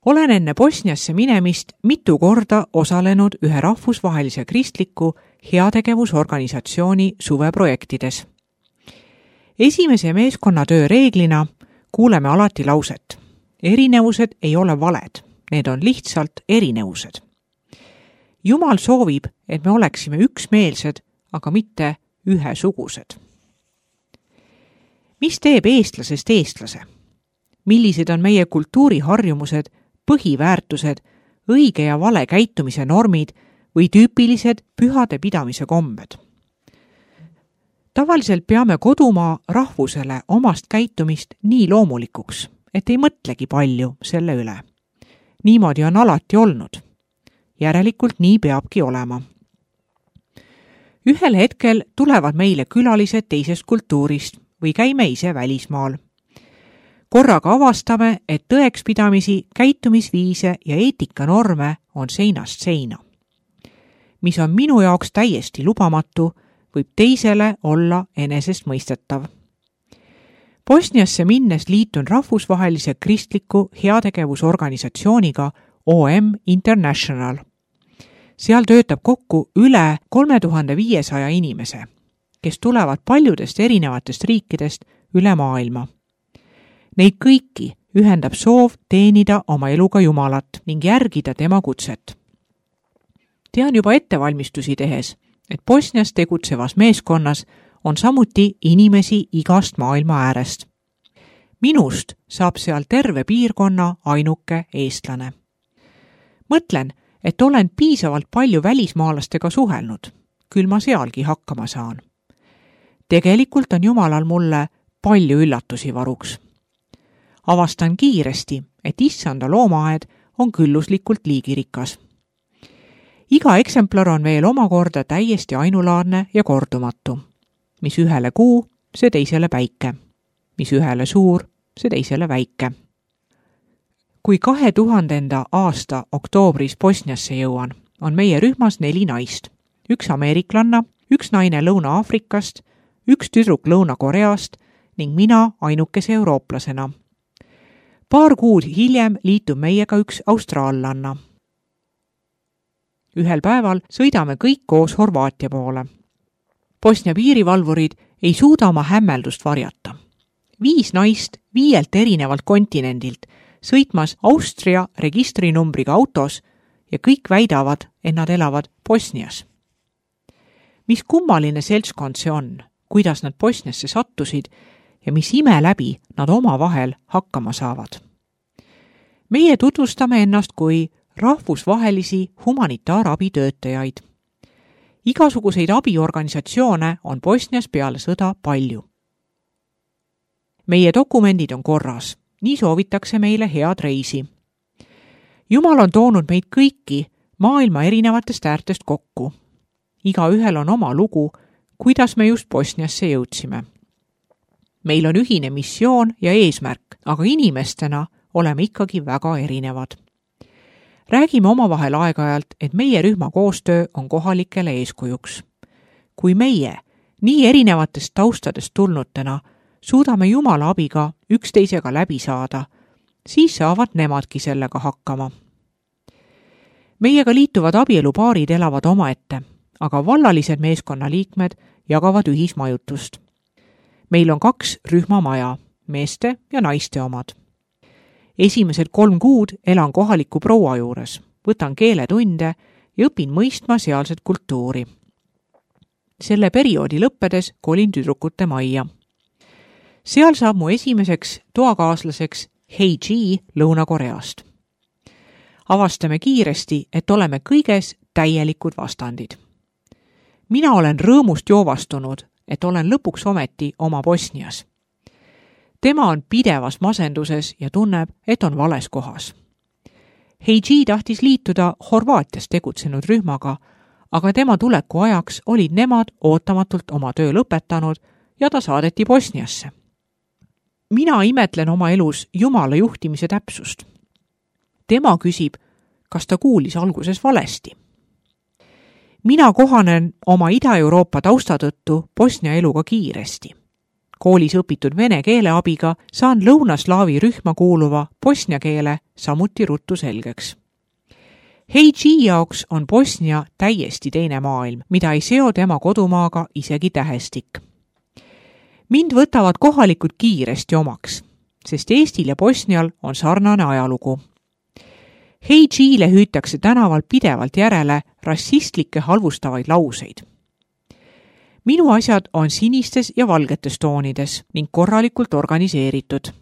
Olen enne Bosniasse minemist mitu korda osalenud ühe rahvusvahelise kristliku heategevusorganisatsiooni suveprojektides. Esimese meeskonnatöö reeglina kuuleme alati lauset. Erinevused ei ole valed, need on lihtsalt erinevused. Jumal soovib, et me oleksime üksmeelsed, aga mitte ühesugused. Mis teeb eestlasest eestlase? Millised on meie kultuuriharjumused, põhiväärtused, õige ja vale käitumise normid või tüüpilised pühade pidamise kombed? Tavaliselt peame kodumaa rahvusele omast käitumist nii loomulikuks, et ei mõtlegi palju selle üle. Niimoodi on alati olnud. Järelikult nii peabki olema. Ühel hetkel tulevad meile külalised teisest kultuurist või käime ise välismaal. Korraga avastame, et tõekspidamisi, käitumisviise ja eetikanorme on seinast seina. Mis on minu jaoks täiesti lubamatu, võib teisele olla enesestmõistetav. Bosniasse minnes liitun rahvusvahelise kristliku heategevusorganisatsiooniga OM International. Seal töötab kokku üle 3500 inimese, kes tulevad paljudest erinevatest riikidest üle maailma. Neid kõiki ühendab soov teenida oma eluga Jumalat ning järgida tema kutset. Tean juba ettevalmistusi tehes, et Bosnias tegutsevas meeskonnas on samuti inimesi igast maailma äärest. Minust saab seal terve piirkonna ainuke eestlane. Mõtlen, et olen piisavalt palju välismaalastega suhelnud, küll ma sealgi hakkama saan. Tegelikult on Jumalal mulle palju üllatusi varuks. Avastan kiiresti, et issanda loomaaed on külluslikult liigirikas. Iga eksemplar on veel omakorda täiesti ainulaadne ja kordumatu. Mis ühele kuu, see teisele päike. Mis ühele suur, see teisele väike. Kui 2000. aasta oktoobris Bosniasse jõuan, on meie rühmas 4 naist. 1 ameeriklanna, 1 naine Lõuna-Aafrikast, 1 tüdruk Lõuna-Koreast ning mina ainukese eurooplasena. Paar kuud hiljem liitub meiega 1 austraallanna. Ühel päeval sõidame kõik koos Horvaatia poole. Bosnia piirivalvurid ei suuda oma hämmeldust varjata. 5 naist 5 erinevalt kontinendilt sõitmas Austria registrinumbriga autos ja kõik väidavad, et nad elavad Bosnias. Mis kummaline seltskond see on, kuidas nad Bosniasse sattusid ja mis ime läbi nad omavahel hakkama saavad. Meie tutvustame ennast kui rahvusvahelisi humanitaarabitöötajaid. Igasuguseid abiorganisatsioone on Bosnias peale sõda palju. Meie dokumendid on korras, nii soovitakse meile head reisi. Jumal on toonud meid kõiki maailma erinevatest äärtest kokku. Igaühel on oma lugu, kuidas me just Bosniasse jõudsime. Meil on ühine missioon ja eesmärk, aga inimestena oleme ikkagi väga erinevad. Räägime omavahel aeg-ajalt, et meie rühma koostöö on kohalikele eeskujuks. Kui meie, nii erinevatest taustadest tulnutena, suudame Jumala abiga üksteisega läbi saada, siis saavad nemadki sellega hakkama. Meiega liituvad abielupaarid elavad omaette, aga vallalised meeskonnaliikmed jagavad ühismajutust. Meil on 2 rühmamaja, meeste ja naiste omad. Esimesed 3 kuud elan kohaliku proua juures, võtan keeletunde ja õpin mõistma sealset kultuuri. Selle perioodi lõppedes kolin tüdrukute majja. Seal saab mu esimeseks toakaaslaseks Heiji Lõuna-Koreast. Avastame kiiresti, et oleme kõiges täielikud vastandid. Mina olen rõõmust joovastunud, et olen lõpuks ometi oma Bosnias. Tema on pidevas masenduses ja tunneb, et on vales kohas. Heiji tahtis liituda Horvaatias tegutsenud rühmaga, aga tema tuleku ajaks olid nemad ootamatult oma töö lõpetanud ja ta saadeti Bosniasse. Mina imetlen oma elus Jumala juhtimise täpsust. Tema küsib, kas ta kuulis alguses valesti. Mina kohanen oma Ida-Euroopa tausta tõttu Bosnia eluga kiiresti. Koolis õpitud vene keele abiga saan lõunaslaavi rühma kuuluva bosnia keele samuti ruttu selgeks. Heiji jaoks on Bosnia täiesti teine maailm, mida ei seo tema kodumaaga isegi tähestik. Mind võtavad kohalikud kiiresti omaks, sest Eestil ja Bosnial on sarnane ajalugu. Heijiile hüütakse tänaval pidevalt järele rassistlikke halvustavaid lauseid. Minu asjad on sinistes ja valgetes toonides ning korralikult organiseeritud.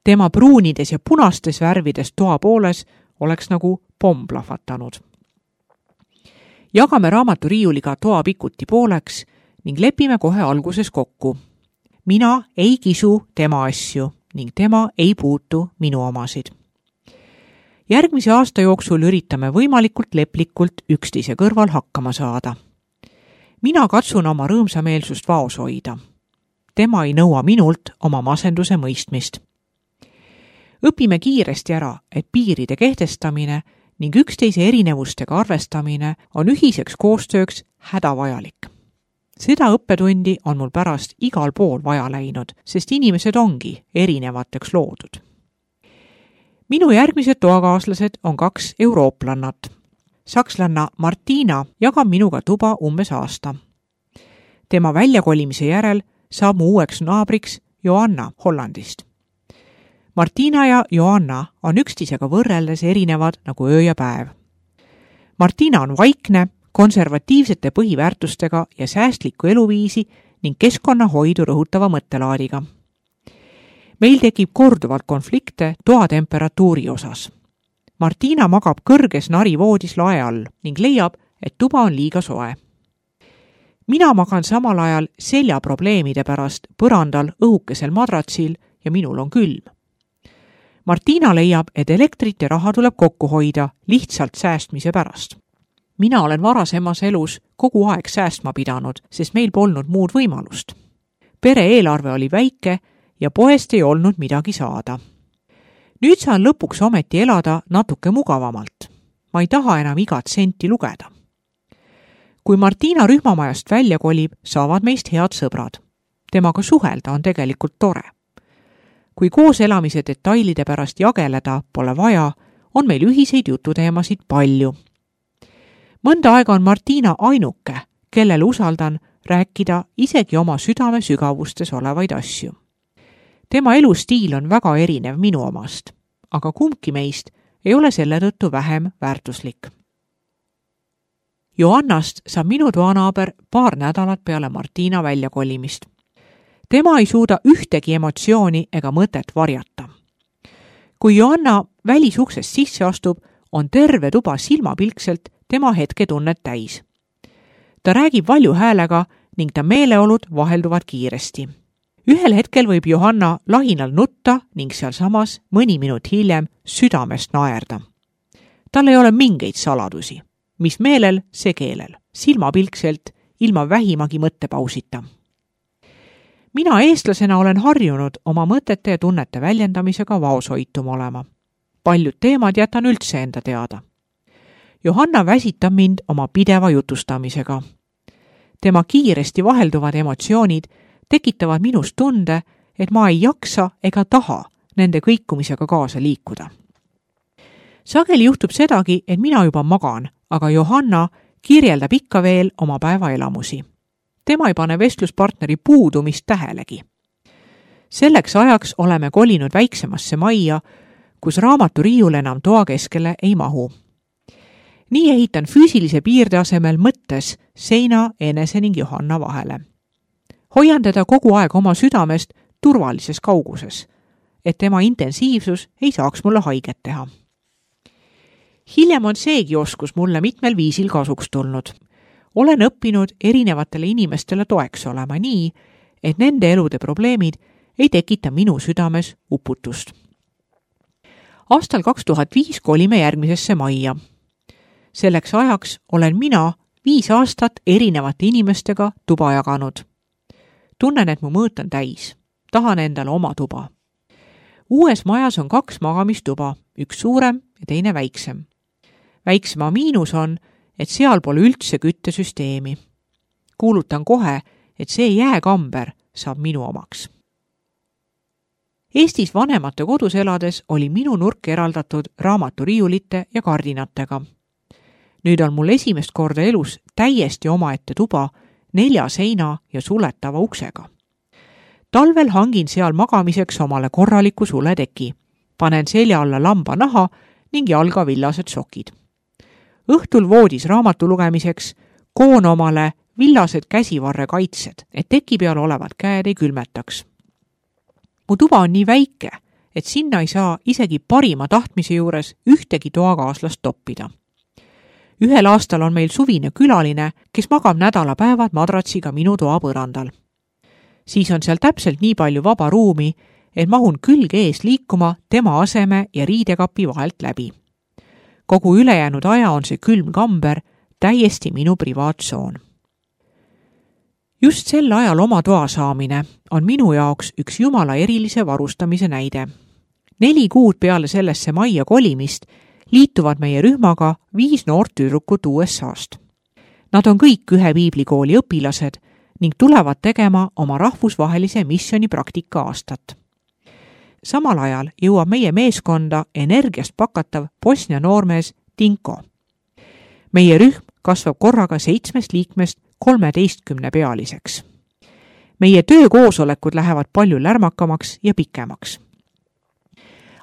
Tema pruunides ja punastes värvides toa pooles oleks nagu pomm plahvatanud. Jagame raamaturiiuliga toa pikuti pooleks ning lepime kohe alguses kokku. Mina ei kisu tema asju ning tema ei puutu minu omasid. Järgmise aasta jooksul üritame võimalikult leplikult üksteise kõrval hakkama saada. Mina katsun oma rõõmsameelsust vaos hoida. Tema ei nõua minult oma masenduse mõistmist. Õpime kiiresti ära, et piiride kehtestamine ning üksteise erinevustega arvestamine on ühiseks koostööks hädavajalik. Seda õppetundi on mul pärast igal pool vaja läinud, sest inimesed ongi erinevateks loodud. Minu järgmised toakaaslased on 2 eurooplannat. Sakslanna Martina jagab minuga tuba umbes aasta. Tema väljakolimise järel saab mu uueks naabriks Joanna Hollandist. Martina ja Joanna on üksteisega võrreldes erinevad nagu öö ja päev. Martina on vaikne, konservatiivsete põhiväärtustega ja säästlikku eluviisi ning keskkonnahoidu rõhutava mõttelaadiga. Meil tekib korduvalt konflikte toa temperatuuri osas. Martina magab kõrges narivoodis lae all ning leiab, et tuba on liiga soe. Mina magan samal ajal seljaprobleemide pärast põrandal õhukesel madratsil ja minul on külm. Martina leiab, et elektrit ja raha tuleb kokku hoida lihtsalt säästmise pärast. Mina olen varasemas elus kogu aeg säästma pidanud, sest meil polnud muud võimalust. Pere eelarve oli väike ja poest ei olnud midagi saada. Nüüd saan lõpuks ometi elada natuke mugavamalt. Ma ei taha enam igat senti lugeda. Kui Martina rühmamajast välja kolib, saavad meist head sõbrad. Temaga suhelda on tegelikult tore. Kui koos elamise detailide pärast jageleda pole vaja, on meil ühiseid jututeemasid palju. Mõnda aega on Martina ainuke, kellele usaldan rääkida isegi oma südame sügavustes olevaid asju. Tema elustiil on väga erinev minu omast, aga kumbki meist ei ole selle tõttu vähem väärtuslik. Joannast saab minu toanaaber paar nädalat peale Martina väljakolimist. Tema ei suuda ühtegi emotsiooni ega mõtet varjata. Kui Joanna välisuksest sisse astub, on terve tuba silmapilkselt tema hetketunnet täis. Ta räägib valju häälega ning ta meeleolud vahelduvad kiiresti. Ühel hetkel võib Johanna lahinal nutta ning sealsamas mõni minut hiljem südamest naerda. Tal ei ole mingeid saladusi. Mis meelel, see keelel. Silmapilkselt, ilma vähimagi mõttepausita. Mina eestlasena olen harjunud oma mõtete ja tunnete väljendamisega vaoshoitum olema. Paljud teemad jätan üldse enda teada. Johanna väsitab mind oma pideva jutustamisega. Tema kiiresti vahelduvad emotsioonid tekitavad minus tunde, et ma ei jaksa ega taha nende kõikumisega kaasa liikuda. Sageli juhtub sedagi, et mina juba magan, aga Johanna kirjeldab ikka veel oma päevaelamusi. Tema ei pane vestluspartneri puudumist tähelegi. Selleks ajaks oleme kolinud väiksemasse majja, kus raamaturiiul enam toa keskele ei mahu. Nii ehitan füüsilise piirde asemel mõttes seina enese ning Johanna vahele. Hoian teda kogu aeg oma südamest turvalises kauguses, et tema intensiivsus ei saaks mulle haiget teha. Hiljem on seegi oskus mulle mitmel viisil kasuks tulnud. Olen õppinud erinevatele inimestele toeks olema nii, et nende elude probleemid ei tekita minu südames uputust. Aastal 2005 kolime järgmisesse majja. Selleks ajaks olen mina 5 aastat erinevate inimestega tuba jaganud. Tunnen, et mu mõõt on täis. Tahan endale oma tuba. Uues majas on 2 magamistuba, üks suurem ja teine väiksem. Väiksema miinus on, et seal pole üldse küttesüsteemi. Kuulutan kohe, et see jääkamber saab minu omaks. Eestis vanemate kodus elades oli minu nurk eraldatud raamaturiiulite ja kardinatega. Nüüd on mul esimest korda elus täiesti omaette tuba 4 seina ja suletava uksega. Talvel hangin seal magamiseks omale korraliku suleteki, panen selja alla lambanaha ning jalga villased sokid. Õhtul voodis raamatu lugemiseks koon omale villased käsivarre kaitsed, et teki peal olevad käed ei külmetaks. Mu tuba on nii väike, et sinna ei saa isegi parima tahtmise juures ühtegi toakaaslast toppida. Ühel aastal on meil suvine külaline, kes magab nädalapäevad madratsiga minu toa põrandal. Siis on seal täpselt nii palju vaba ruumi, et mahun külg ees liikuma tema aseme ja riidekapi vahelt läbi. Kogu ülejäänud aja on see külm kamber täiesti minu privaattsoon. Just sel ajal oma toa saamine on minu jaoks üks jumala erilise varustamise näide. 4 kuud peale sellesse majja kolimist liituvad meie rühmaga 5 noort tüdrukut USA-st. Nad on kõik ühe piiblikooli õpilased ning tulevad tegema oma rahvusvahelise missiooni praktika aastat. Samal ajal jõuab meie meeskonda energiast pakatav Bosnia noormees Tinko. Meie rühm kasvab korraga 7 liikmest 13 pealiseks. Meie töökoosolekud lähevad palju lärmakamaks ja pikemaks.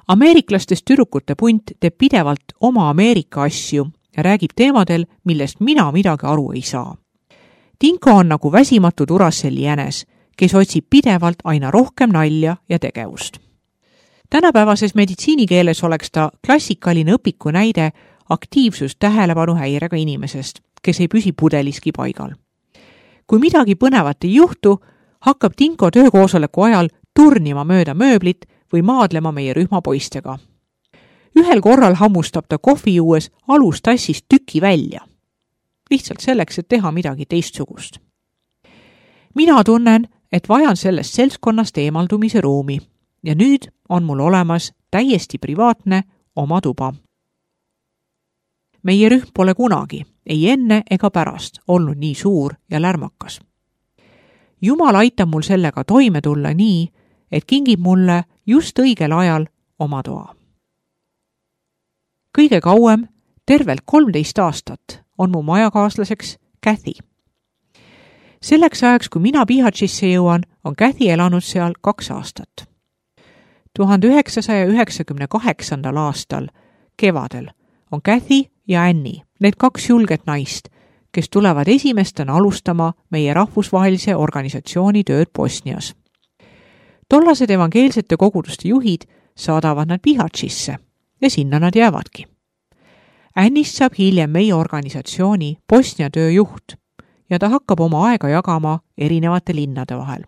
Ameeriklastest tüdrukute punt teeb pidevalt oma Ameerika asju ja räägib teemadel, millest mina midagi aru ei saa. Tinko on nagu väsimatu Duracell'i jänes, kes otsib pidevalt aina rohkem nalja ja tegevust. Tänapäevases meditsiinikeeles oleks ta klassikaline õpiku näide aktiivsus tähelepanu häirega inimesest, kes ei püsi pudeliski paigal. Kui midagi põnevat ei juhtu, hakkab Tinko töökoosoleku ajal turnima mööda mööblit või maadlema meie rühma poistega. Ühel korral hammustab ta kohvi juues alustassist tüki välja. Lihtsalt selleks, et teha midagi teistsugust. Mina tunnen, et vajan sellest seltskonnast eemaldumise ruumi ja nüüd on mul olemas täiesti privaatne oma tuba. Meie rühm pole kunagi, ei enne ega pärast, olnud nii suur ja lärmakas. Jumal aitab mul sellega toime tulla nii, et kingib mulle just õigel ajal oma toa. Kõige kauem, tervelt 13 aastat, on mu majakaaslaseks Kathy. Selleks ajaks, kui mina Bihaćisse jõuan, on Kathy elanud seal 2 aastat. 1998. aastal kevadel on Kathy ja Annie, need 2 julget naist, kes tulevad esimestena alustama meie rahvusvahelise organisatsiooni tööd Bosnias. Tollased evangeelsete koguduste juhid saadavad nad Bihaćisse ja sinna nad jäävadki. Annist saab hiljem meie organisatsiooni Bosnia tööjuht ja ta hakkab oma aega jagama erinevate linnade vahel.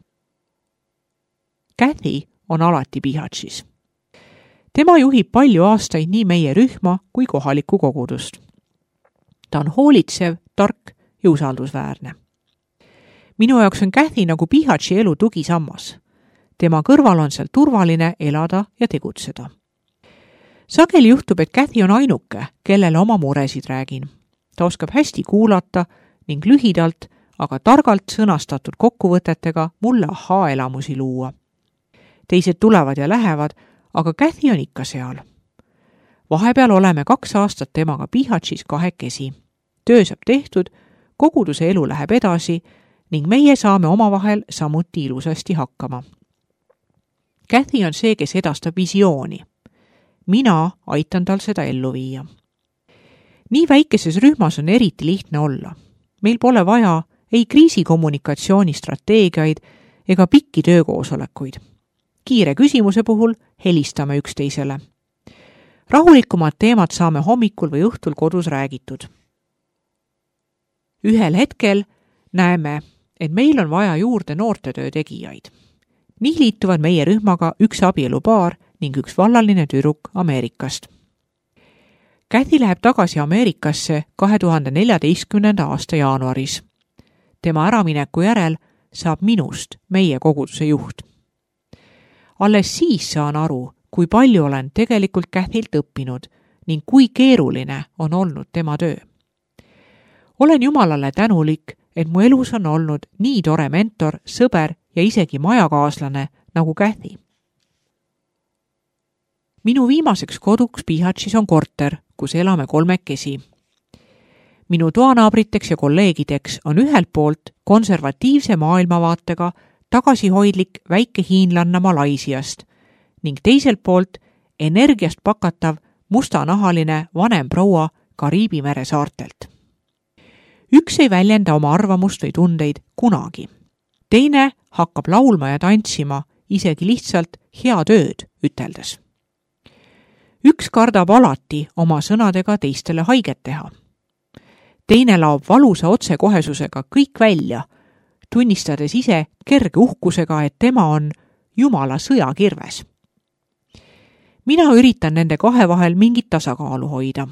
Kathy on alati Bihaćis. Tema juhib palju aastaid nii meie rühma kui kohalikku kogudust. Ta on hoolitsev, tark ja usaldusväärne. Minu jaoks on Kathy nagu Bihaći elu tugisammas. Tema kõrval on seal turvaline elada ja tegutseda. Sageli juhtub, et Kathy on ainuke, kellele oma muresid räägin. Ta oskab hästi kuulata ning lühidalt, aga targalt sõnastatud kokkuvõtetega mulle ahaa-elamusi luua. Teised tulevad ja lähevad, aga Kathy on ikka seal. Vahepeal oleme 2 aastat temaga Bihaćis kahekesi. Töö saab tehtud, koguduse elu läheb edasi ning meie saame omavahel samuti ilusasti hakkama. Kathy on see, kes edastab visiooni. Mina aitan tal seda ellu viia. Nii väikeses rühmas on eriti lihtne olla. Meil pole vaja ei kriisikommunikatsioonistrateegiaid ega pikki töökoosolekuid. Kiire küsimuse puhul helistame üksteisele. Rahulikumad teemad saame hommikul või õhtul kodus räägitud. Ühel hetkel näeme, et meil on vaja juurde noortetöö tegijaid. Nii liituvad meie rühmaga 1 abielupaar ning 1 vallaline tüdruk Ameerikast. Kathy läheb tagasi Ameerikasse 2014. aasta jaanuaris. Tema äramineku järel saab minust meie koguduse juht. Alles siis saan aru, kui palju olen tegelikult Kathylt õppinud ning kui keeruline on olnud tema töö. Olen Jumalale tänulik, et mu elus on olnud nii tore mentor, sõber ja isegi majakaaslane nagu Kathy. Minu viimaseks koduks Bihatšis on korter, kus elame kolmekesi. Minu toanaabriteks ja kolleegideks on ühelt poolt konservatiivse maailmavaatega tagasihoidlik väike hiinlanna Malaisiast ning teiselt poolt energiast pakatav mustanahaline vanem proua Kariibi mere saartelt. Üks ei väljenda oma arvamust või tundeid kunagi. Teine hakkab laulma ja tantsima isegi lihtsalt head ööd üteldes. Üks kardab alati oma sõnadega teistele haiget teha. Teine laob valusa otsekohesusega kõik välja, tunnistades ise kerge uhkusega, et tema on Jumala sõjakirves. Mina üritan nende kahe vahel mingit tasakaalu hoida.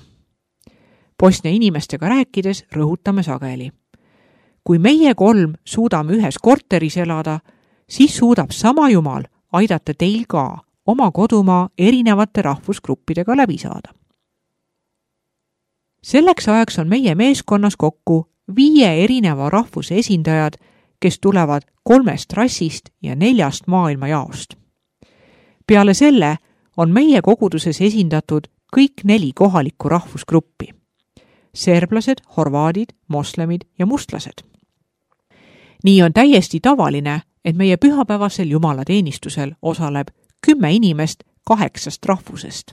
Bosnia inimestega rääkides rõhutame sageli. Kui meie kolm suudame ühes korteris elada, siis suudab sama Jumal aidata teil ka oma kodumaa erinevate rahvusgruppidega läbi saada. Selleks ajaks on meie meeskonnas kokku 5 erineva rahvuse esindajad, kes tulevad 3 rassist ja 4 maailmajaost. Peale selle on meie koguduses esindatud kõik 4 kohalikku rahvusgruppi. Serblased, horvaadid, moslemid ja mustlased. Nii on täiesti tavaline, et meie pühapäevasel jumalateenistusel osaleb 10 inimest 8 rahvusest.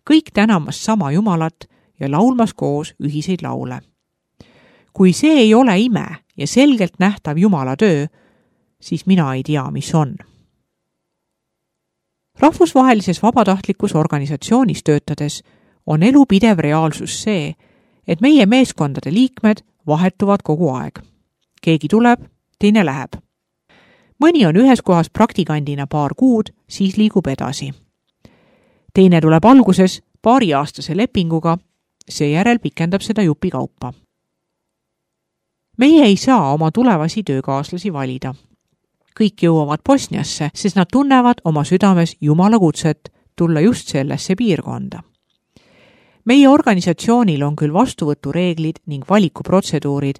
Kõik tänamas sama Jumalat ja laulmas koos ühiseid laule. Kui see ei ole ime ja selgelt nähtav Jumala töö, siis mina ei tea, mis on. Rahvusvahelises vabatahtlikus organisatsioonis töötades on elu pidev reaalsus see, et meie meeskondade liikmed vahetuvad kogu aeg. Keegi tuleb, teine läheb. Mõni on ühes kohas praktikandina paar kuud, siis liigub edasi. Teine tuleb alguses 2-aastase lepinguga, seejärel pikendab seda jupi kaupa. Meie ei saa oma tulevasi töökaaslasi valida. Kõik jõuavad Bosniasse, sest nad tunnevad oma südames Jumala kutset tulla just sellesse piirkonda. Meie organisatsioonil on küll vastuvõtureeglid ning valikuprotseduurid,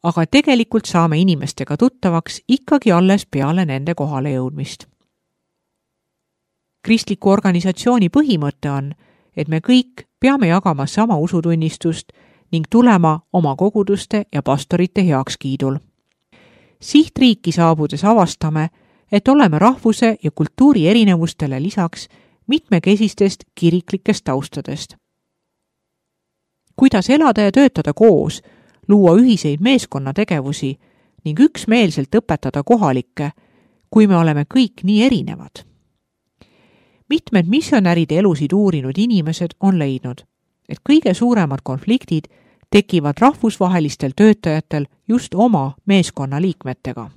aga tegelikult saame inimestega tuttavaks ikkagi alles peale nende kohale jõudmist. Kristliku organisatsiooni põhimõte on, et me kõik peame jagama sama usutunnistust ning tulema oma koguduste ja pastorite heakskiidul. Sihtriiki saabudes avastame, et oleme rahvuse ja kultuuri erinevustele lisaks mitmekesistest kiriklikest taustadest. Kuidas elada ja töötada koos, luua ühiseid meeskonnategevusi ning üksmeelselt õpetada kohalikke, kui me oleme kõik nii erinevad. Mitmed missionäride elusid uurinud inimesed on leidnud, et kõige suuremad konfliktid tekivad rahvusvahelistel töötajatel just oma meeskonna liikmetega.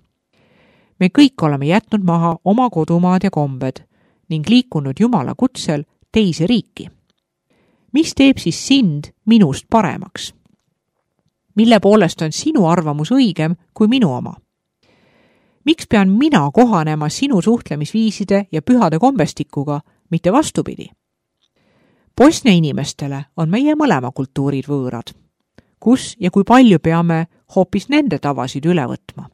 Me kõik oleme jätnud maha oma kodumaad ja kombed ning liikunud Jumala kutsel teise riiki. Mis teeb siis sind minust paremaks? Mille poolest on sinu arvamus õigem kui minu oma? Miks pean mina kohanema sinu suhtlemisviiside ja pühade kombestikuga, mitte vastupidi? Bosnia inimestele on meie mõlema kultuurid võõrad. Kus ja kui palju peame hoopis nende tavasid üle võtma?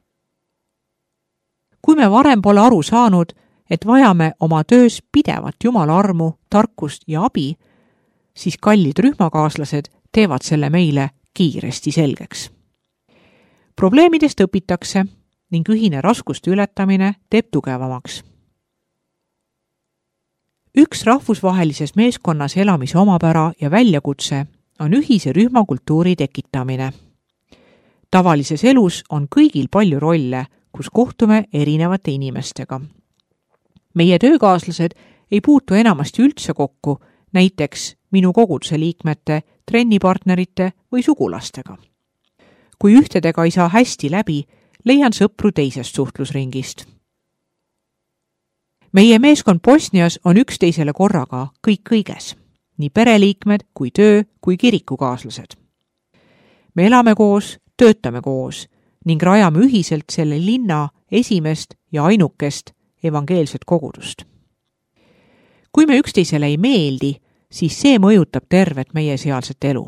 Kui me varem pole aru saanud, et vajame oma töös pidevat Jumala armu, tarkust ja abi, siis kallid rühmakaaslased teevad selle meile kiiresti selgeks. Probleemidest õpitakse ning ühine raskuste ületamine teeb tugevamaks. Üks rahvusvahelises meeskonnas elamise omapära ja väljakutse on ühise rühmakultuuri tekitamine. Tavalises elus on kõigil palju rolle, kus kohtume erinevate inimestega. Meie töökaaslased ei puutu enamasti üldse kokku, näiteks minu koguduse liikmete, trennipartnerite või sugulastega. Kui ühtedega ei saa hästi läbi, leian sõpru teisest suhtlusringist. Meie meeskond Bosnias on üksteisele korraga kõik kõiges, nii pereliikmed kui töö kui kirikukaaslased. Me elame koos, töötame koos ning rajame ühiselt selle linna esimest ja ainukest evangeelset kogudust. Kui me üksteisele ei meeldi, siis see mõjutab tervet meie sealset elu.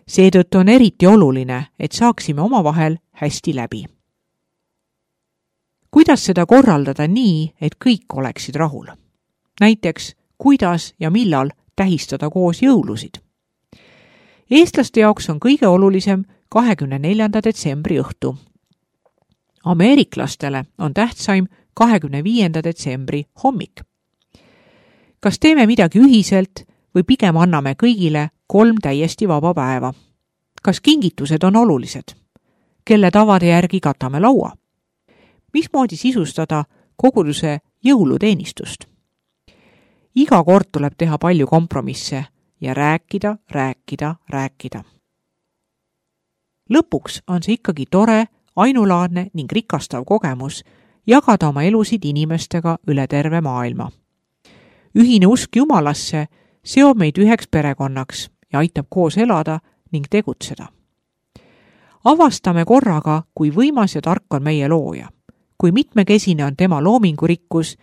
Seetõttu on eriti oluline, et saaksime omavahel hästi läbi. Kuidas seda korraldada nii, et kõik oleksid rahul? näiteks kuidas ja millal tähistada koos jõulusid. Eestlaste jaoks on kõige olulisem 24. detsembri õhtu. Ameeriklastele on tähtsaim 25. detsembri hommik. Kas teeme midagi ühiselt või pigem anname kõigile 3 täiesti vaba päeva? Kas kingitused on olulised? Kelle tavade järgi katame laua? Mismoodi sisustada koguduse jõuluteenistust? Iga kord tuleb teha palju kompromisse ja rääkida. Lõpuks on see ikkagi tore, ainulaadne ning rikastav kogemus jagada oma elusid inimestega üle terve maailma. Ühine usk Jumalasse seob meid üheks perekonnaks ja aitab koos elada ning tegutseda. Avastame korraga, kui võimas ja tark on meie looja, kui mitmekesine on tema loomingurikkus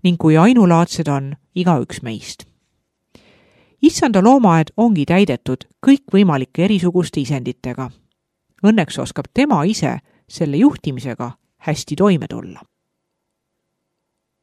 ning kui ainulaadsed on igaüks meist. Issanda loomaaed ongi täidetud kõikvõimalike erisuguste isenditega. Õnneks oskab tema ise selle juhtimisega hästi toime tulla.